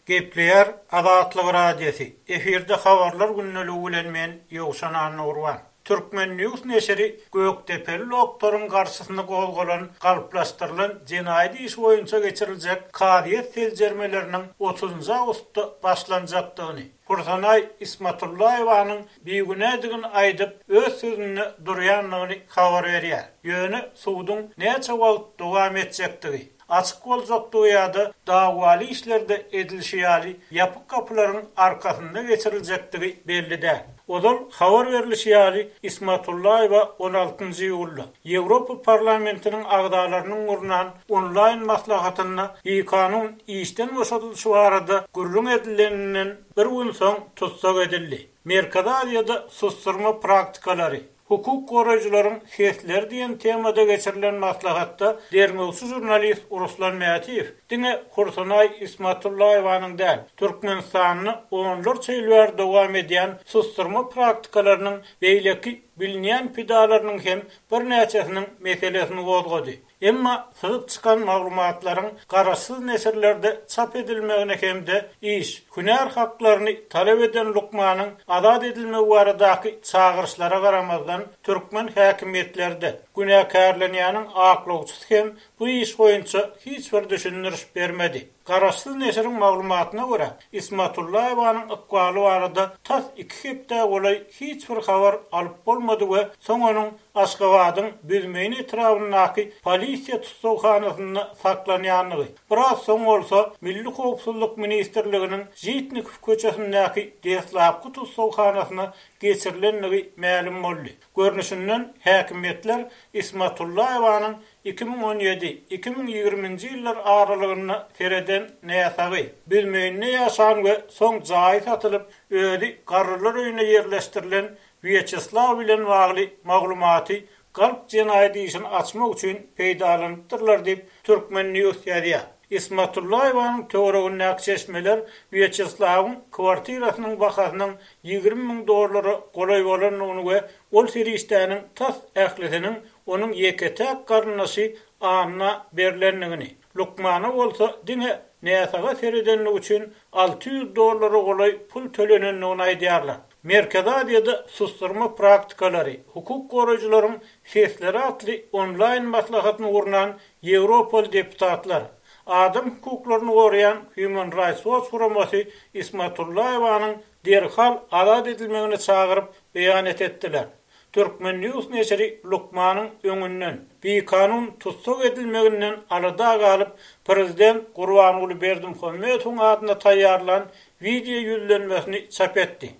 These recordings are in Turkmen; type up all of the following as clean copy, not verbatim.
Gepleýär Azatlyk Radiosy, efirde Habarlar gündeligi bilen men Ýowşan Annagurban. Turkmen. News neşiri Gökdepeli doktoryň garşysyna gozgalan galplaşdyrylan jenaýat işi boýunça geçiriljek kazyýet seljermeleriniň otuzynjy awgustda başlanjakdygyny, Hursanaý Ismatullaýewanyň bigünädigini aýdyp, öz sözünde durýandygyny habar berýär. Ýöne suduň näçe wagt dowam etjekdigi, açyk boljakdygy ýa-da dawaly işlerde edilişi ýaly ýapyk gapylaryň arkasynda geçiriljekdigi belli däl. Ozal habar berlişi ýaly, Ismatullaýewa on altynjy iýulda Ýewropa Parlamentiniň agzalarynyň gurnan onlaýn maslahatynda bikanun işden boşadylyşy barada gürrüň edileninden bir gün soň tussag edildi. Merkezi Aziýada susdurma praktikalary, Hukuk goraýjylaryň sesleri diýen temada geçirilen maslahatda derňewçi žurnalist Ruslan Mätiýew diňe Hursanaý Ismatullaýewanyň däl, Türkmenistanda onlarça ýyl bäri dowam edýän susdurma praktikalarynyň beýleki bilinýän pidalarynyň hem birnäçesiniň meselesini gozgady. Emma syzyp çykan maglumatlaryň garaşsyz neşirlerde çap edilmegine hem-de iş, hünär haklaryny talap eden lukmanyň azat edilmegi baradaky çagyryşlara garamazdan, türkmen häkimiýetleri-de, günäkärlenýäniň aklawçysy hem bu iş boýunça hiç bir düşündiriş bermedi. Garaşsyz neşiriň maglumatyna görä, Ismatullaýewanyň ykbaly barada tas iki hepdä golaý hiç bir habar alyp bolmady we soň onuň Aşgabadyň Büzmeýin etrabyndaky polisiýa tussaghanasynda saklanýandygy, biraz soň bolsa Milli howpsuzlyk ministrliginiň Žitnikow köçesindäki deslapky tussaghanasyna geçirilendigi mälim boldy. Görnüşinden, häkimiýetler Ismatullaýewanyň 2017, 2020-nji ýyllar aralygynda sereden näsagy, Büzmeýinde ýaşan we soň jaýy satylyp, özi garrylar öýüne ýerleşdirilen Wýaçeslaw bilen bagly maglumaty galp jenaýat işini açmak üçin peýdalanypdyrlar diýip, Turkmen. News ýazýar. Ismatullaýewanyň töweregindäki çeşmeler Wýaçeslawyň kwartirasynyň bahasynyň 20 müň dollara golaý bolandygyny we ol serişdäniň tas ählisiniň onuň ýeke-täk garyndaşy Anna berlendigini, lukmana bolsa diňe näsaga seredenligi üçin 600 dollara golaý pul tölenendigini aýdýarlar. Merkezi Aziýada susdurma praktikalary, hukuk goraýjylaryň sesleri atly onlaýn maslahatyny gurnan ýewropaly deputatlar, adam hukuklaryny goraýan Human Rights Watch guramasy Ismatullaýewanyň derhal azat edilmegine çagyryp beýanat etdiler. Turkmen. News neşiri lukmanyň öňünden bikanun tussag edilmeginden alada galyp, prezident Gurbanguly Berdimuhamedowyň adyna taýýarlan wideo ýüzlenmesini çap etdi.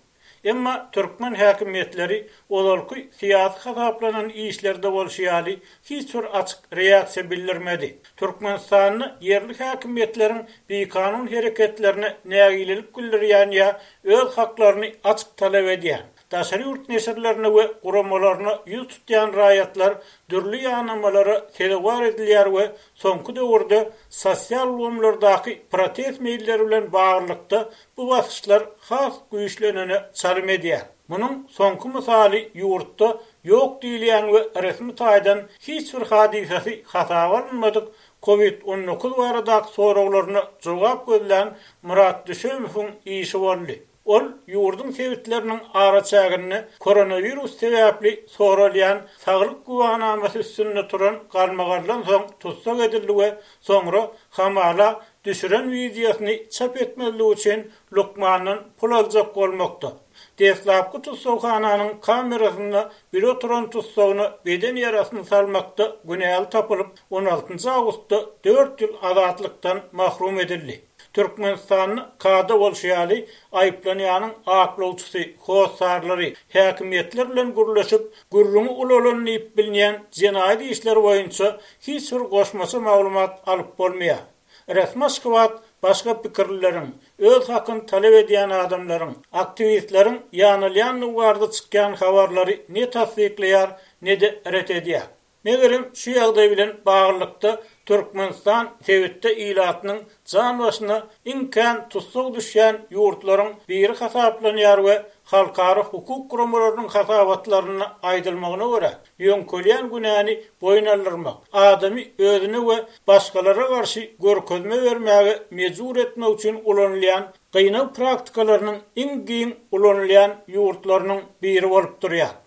Emma türkmen häkimiýetleri ozalky syýasy hasaplanan işlerde bolşy ýaly hiç bir açyk reaksiýa bildirmedi. Türkmenistanda ýerli häkimiýetleriň bikanun hereketlerine nägilelik bildirýän ýa öz haklaryny açyk talap edýän, daşary ýurt neşirlerine we guramalaryna ýüz tutýan raýatlar dürli ýanamalara sezewar edilýär we soňky döwürde sosial ulgamlardaky protest meýilleri bilen baglylykda bu basyşlar has güýçlenene çalym edýär. Munuň soňky mysaly ýurtda ýok diýilýän we resmi taýdan hiç bir hadysasy hasaba alynmadyk Covid 19 baradaky soraglaryna jogap gözlän Myrat Düşemowyň işi boldy. Ol ýurduň sebitleriniň araçäginde koronawirus sebäpli soralýan saglyk güwänamasy üstünde turan galmagaldan soň tussag edildi we soňra hamala düşüren wideosyny çap etmezlik üçin lukmandan pul aljak bolmakda, deslapky tussaghananyň kamerasynda bile oturan tussagyna beden ýarasyny salmakda günäli tapylyp, on altynjy awgustda dört ýyl azatlykdan mahrum edildi. Türkmenistanda kada bolşy ýaly, aýyplanýanyň aklawçysy, hossarlary, häkimiýetler bilen gürleşip, gürrüňi ulalan diýip bilinýän jenaýat işleri boýunça hiç bir goşmaça maglumat alyp bolmaýar. Resmi Aşgabat başga pikirlileriň, öz hakyny talap edýän adamlaryň, aktiwistleriň ýanalýandygy barada çykýan habarlary ne tassyklaýar, ne-de ret edýär. Megerem, şu ýagdaý bilen baglylykda Türkmenistan sebitde ilatynyň jan başyna iň kän tussag düşýän ýurtlaryň biri hasaplanýar we halkara hukuk guramalarynyň hasabatlarynda aýdylmagyna görä, ýöňkelýän günäni boýun aldyrmak, adamy özüne we başgalara garşy görkezme bermäge mejbur etmek üçin ulanylýan gynag praktikalarynyň iň giň ulanylýan ýurtlarynyň biri bolup durýar.